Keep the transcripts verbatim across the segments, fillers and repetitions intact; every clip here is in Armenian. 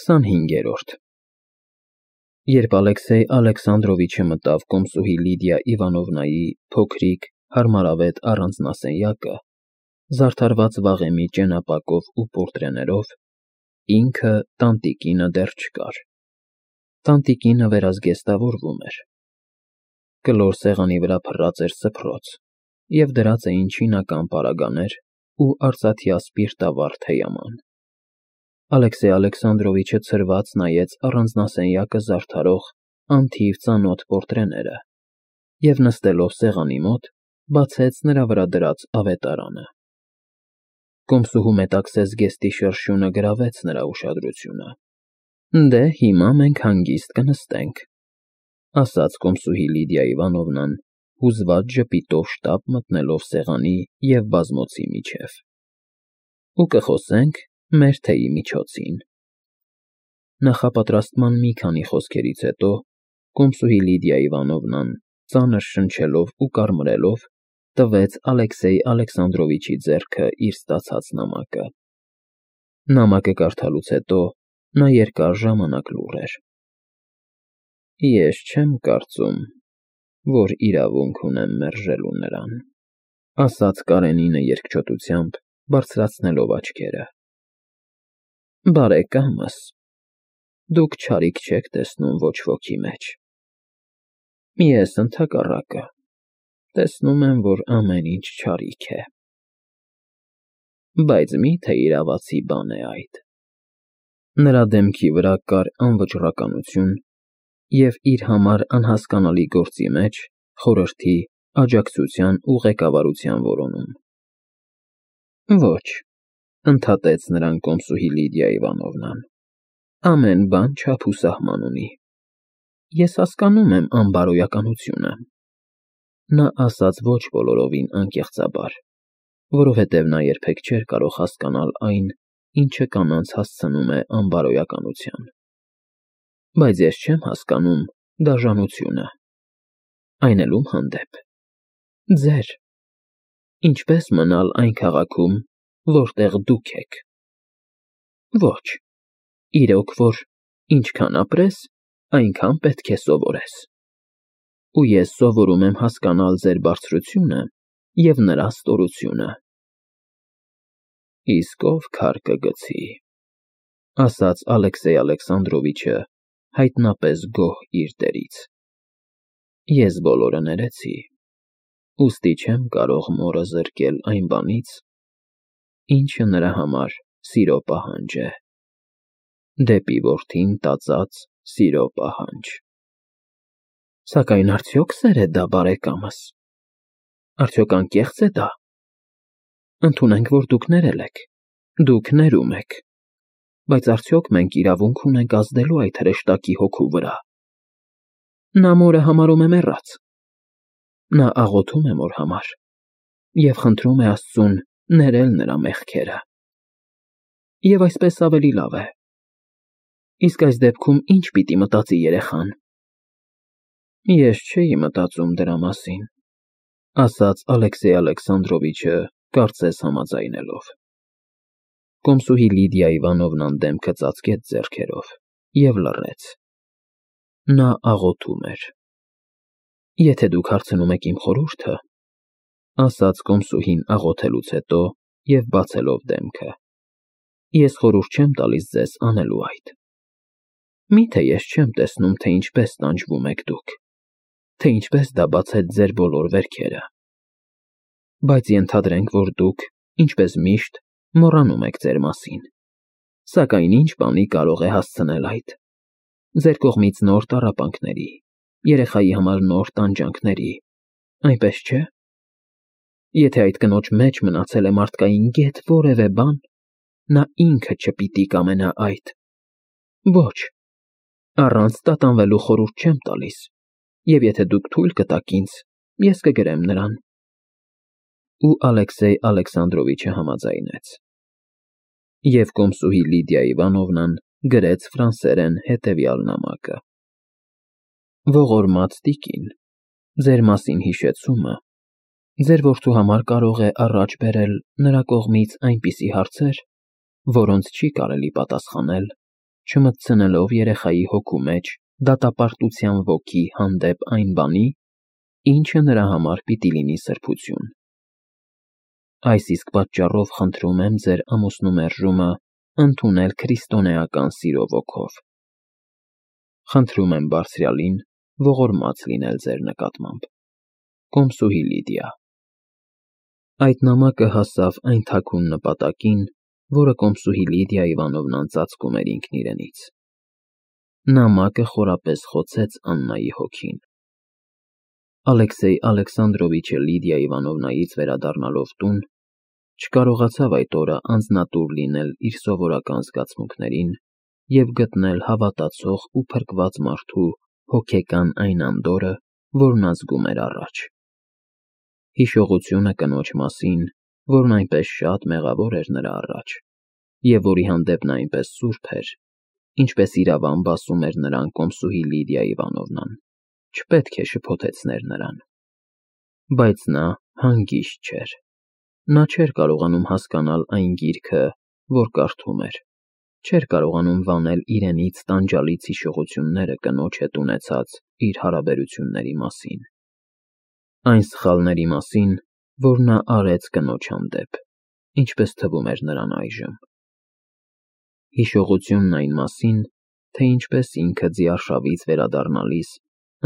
քսանհինգերորդ Երբ Ալեքսեյ Ալեքսանդրովիչը մտավ կոմսուհի Լիդիա Իվանովնայի փոքրիկ, հարմարավետ առանձնասենյակը, զարդարված վաղեմի ճենապակով ու պորտրեներով, ինքը տանտիկինը դեռ չկար. տանտիկինը վերազգեստավորվում էր. կլոր սեղանի վրա փռած էր սփռոց, և դրած էին չինական պարագաներ ու արծաթյա սպիրտավառ թեյաման։ Ալեքսեյ Ալեքսանդրովիչը ցրված նայեց առանձնասենյակը զարդարող անթիվ ծանոթ պորտրեները և, նստելով սեղանի մոտ, բացեց նրա վրա դրած ավետարանը։ Կոմսուհու մետաքսե զգեստի շրշյունը գրավեց նրա ուշադրությունը։ «Դե, հիմա մենք հանգիստ կնստենք», ֊ ասաց կոմսուհի Լիդիա Իվանովնան, հուզված ժպիտով շտապ մտնելով սեղանի և բազմոցի միջև, «ու կխոսենք մեր թեյի միջոցին»։ Նախապատրաստման մի քանի խոսքերից հետո կոմսուհի Լիդիա Իվանովնան, ծանր շնչելով ու կարմրելով, տվեց Ալեքսեյ Ալեքսանդրովիչի ձեռքը իր ստացած նամակը։ Նամակը կարդալուց հետո նա երկար ժամանակ լուռ էր։ «Ես չեմ կարծում, որ իրավունք ունեմ մերժելու նրան», ֊ ասաց Կարենինը երկչոտությամբ, բարձրացնելով աչքերը։ «Բարեկամս, դուք չարիք չեք տեսնում ոչ ոքի մեջ։ Ես, ընդհակառակը, տեսնում եմ, որ ամեն ինչ չարիք է։ Բայց մի՞թե իրավացի բան է այդ»։ Նրա դեմքի վրա կար անվճռականություն և իր համար անհասկանալի գործի մեջ խորհրդի, աջակցության ու ղեկավարության որոնում։ «Ոչ», ֊ ընդհատեց նրան կոմսուհի Լիդիա Իվանովնան, «ամեն բան չափ ու սահման ունի։ Ես հասկանում եմ անբարոյականությունը»։ Նա ասաց ոչ բոլորովին անկեղծաբար, որովհետև նա երբեք չէր կարող հասկանալ այն, ինչը կանանց հասցնում է անբարոյականության։ «Բայց ես չեմ հասկանում դաժանությունը, այն էլ ում հանդեպ։ Ձեր։ Ինչպե՞ս մնալ այն քաղաքում, որտեղ դուք եք։ Ոչ, իրոք որ ինչքան ապրես, այնքան պետք է սովորես։ Ու ես սովորում եմ հասկանալ ձեր բարձրությունը և նրա ստորությունը»։ «Իսկ ով քար կգցի», ֊ ասաց Ալեքսեյ Ալեքսանդրովիչը, հայտնապես գոհ իր դերից։ «Ես բոլորը ներեցի, ուստի չեմ կարող մորը զրկել այն բանից, ինչը նրա համար սիրո պահանջ է, դեպի որդին տածած սիրո պահանջ»։ «Սակայն արդյոք սեր է դա, բարեկամս, արդյոք անկեղծ է դա։ Ընդունենք, որ դուք ներել եք, դուք ներում եք, բայց արդյոք մենք իրավունք ունենք ազդելու այդ հրեշտակի հոգու վրա։ Նա մորը համարում է մեռած։ Նա աղոթում է մոր համար և խնդրում է Աստծուն ներել նրա մեղքերը։ Եվ այսպես ավելի լավ է։ Իսկ այս դեպքում ի՞նչ պիտի մտածի երեխան»։ «Ես չէի մտածում դրա մասին», ֊ ասաց Ալեքսեյ Ալեքսանդրովիչը, կարծես համաձայնելով։ Կոմսուհի Լիդիա Իվանովնան դեմքը ծածկեց ձեռքերով և լռեց։ Նա աղոթում էր։ «Եթե դուք հարցնում եք իմ խորհուրդը», ֊ ասաց կոմսուհին աղոթելուց հետո և բացելով դեմքը, «ես խորհուրդ չեմ տալիս ձեզ անելու այդ։ Մի՞թե ես չեմ տեսնում, թե ինչպես տանջվում եք դուք, թե ինչպես դա բացեց ձեր բոլոր վերքերը։ Բայց ենթադրենք, որ դուք, ինչպես միշտ, մոռանում եք ձեր մասին։ Սակայն ինչ բանի կարող է հասցնել այդ։ Ձեր կողմից նոր տառապանքների, երեխայի համար նոր տանջանքների, այնպես չէ՞։ Եթե այդ կնոջ մեջ մնացել է մարդկային գեթ որևէ բան, նա ինքը չպիտի կամենա այդ։ Ոչ, առանց տատանվելու խորհուրդ չեմ տալիս, և եթե դուք թույլ կտաք ինձ, ես կգրեմ նրան»։ Ու Ալեքսեյ Ալեքսանդրովիչը համաձայնեց։ Եվ կոմսուհի Լիդիա Իվանովնան գրեց ֆրանսերեն հետևյալ նամակը. «Ողորմած տիկին, ձեր մասին հիշեցումը ձեր որդու համար կարող է առաջ բերել նրա կողմից այնպիսի հարցեր, որոնց չի կարելի պատասխանել չմտցնելով երեխայի հոգու մեջ դատապարտության ոգի հանդեպ այն բանի, ինչը նրա համար պիտի լինի սրբություն։ Այս իսկ պատճառով խնդրում եմ ձեր ամուսնու մերժումը ընդունել քրիստոնեական սիրո ոգով։ Խնդրում եմ Բարձրյալին ողորմած լինել ձեր նկատմամբ։ Կոմսուհի Լիդիա։ Այդ նամակը հասավ այն թաքուն նպատակին, որը կոմսուհի Լիդիա Իվանովնան ծածկում էր ինքն իրենից։ Նամակը խորապես խոցեց Աննայի հոգին։ Ալեքսեյ Ալեքսանդրովիչը Լիդիա Իվանովնայից վերադառնալով տուն, չկարողացավ այդ օրը անձնատուր լինել իր սովորական զգացմունքներին և գտնել հավատացող ու փրկված մարդու հոգեկան այն անդորրը, որն ազգում էր առաջ։ Հիշողությունը կնոջ մասին, որն այնպես շատ մեղավոր էր նրա առաջ, և որի հանդեպ նա այնպես սուրբ էր, ինչպես իրավամբ ասում էր նրան կոմսուհի Լիդիա Իվանովնան, չպետք է շփոթեցներ նրան։ Բայց նա հանգիստ չէր։ Նա չէր կարողանում հասկանալ այն գիրքը, որ կարդում էր, չէր կարողանում վանել իրենից տանջալից հիշողությունները կնոջ հետ ունեցած իր հարաբերությունների մասին։ Այն սխալների մասին, որ նա արեց կնոջ հանդեպ, ինչպես թվում էր նրան այժմ։ Հիշողությունն այն մասին, թե ինչպես ինքը ձիարշավից վերադառնալիս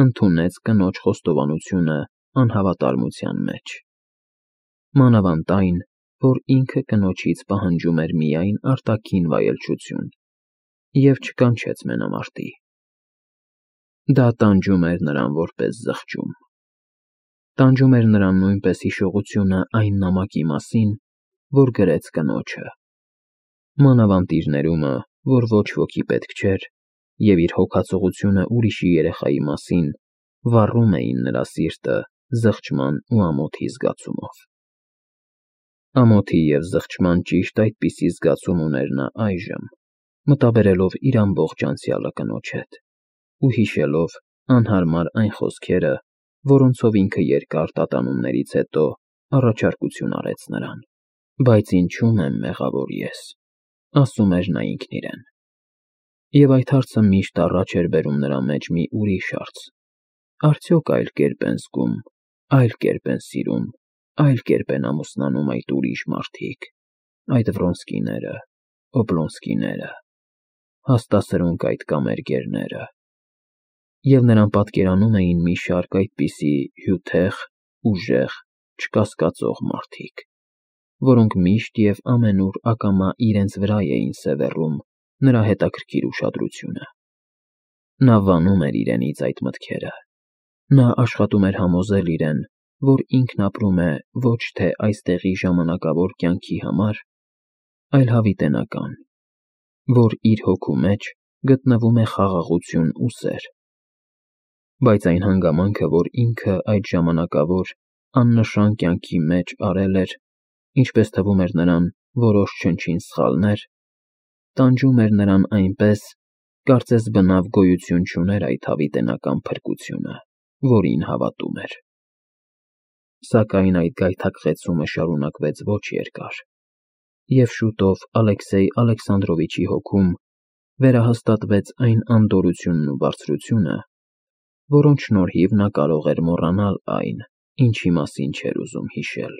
ընդունեց կնոջ խոստովանությունը անհավատարմության մեջ։ Մանավանդ այն, որ ինքը կնոջից պահանջում էր միայն արտաքին վայելչություն և չկանչեց մենամարտի։ Դա տանջում էր նրան որպես զղջում։ Տանջում էր նրան նույնպես հիշողությունը այն նամակի մասին, որ գրեց կնոջը։ Մանավանդ իր ներումը, որ ոչ ոքի պետք չէր, և իր հոգացողությունը ուրիշի երեխայի մասին վառում էին նրա սիրտը զղջման ու ամոթի զգացումով։ Ամոթի և զղջման ճիշտ այդպիսի զգացում ուներ նա այժմ, մտաբերելով իր ամբողջ անցյալը կնոջ հետ ու հիշելով անհարմար այն խոսքերը, որոնցով ինքը երկար տատանումներից հետո առաջարկություն արեց նրան։ Բայց ինչու՞մ եմ մեղավոր ես, ասում էր նա ինքն իրեն։ Եվ այդ հարցը միշտ առաջ էր բերում նրա մեջ մի ուրիշ հարց. արդյոք այլ կերպ են զգում, այլ կերպ են սիրում, այլ կերպ են ամուսնանում այդ ուրիշ մարդիկ, այդ Վրոնսկիները, Օբլոնսկիները, հաստասրունք այդ կամերգերները։ Եվ նրան պատկերանում էին մի շարք այդպիսի հյութեղ, ուժեղ, չկասկածող մարդիկ, որոնք միշտ և ամենուր ակամա իրենց վրա էին սևեռում նրա հետաքրքիր ուշադրությունը։ Նա վանում էր իրենից այդ մտքերը։ Նա աշխատում էր համոզել իրեն, որ ինքն ապրում է ոչ թե այստեղի ժամանակավոր կյանքի համար, այլ հավիտենական, որ իր հոգու մեջ գտնվում է խաղաղություն ու սեր։ Բայց այն հանգամանքը, որ ինքը այդ ժամանակավոր, աննշան կյանքի մեջ արել էր, ինչպես թվում էր նրան, որոշ չնչին սխալներ, տանջում էր նրան այնպես, կարծես բնավ գոյություն չուներ այդ հավիտենական փրկությունը, որին հավատում էր։ Սակայն այդ գայթակղեցումը շարունակվեց ոչ երկար, և շուտով Ալեքսեյ Ալեքսանդրովիչի հոգում վերահաստատվեց այն անդորրությունն ու բարձրությունը, որոնց շնորհիվ նա կարող էր մոռանալ այն, ինչի մասին չէր ուզում հիշել։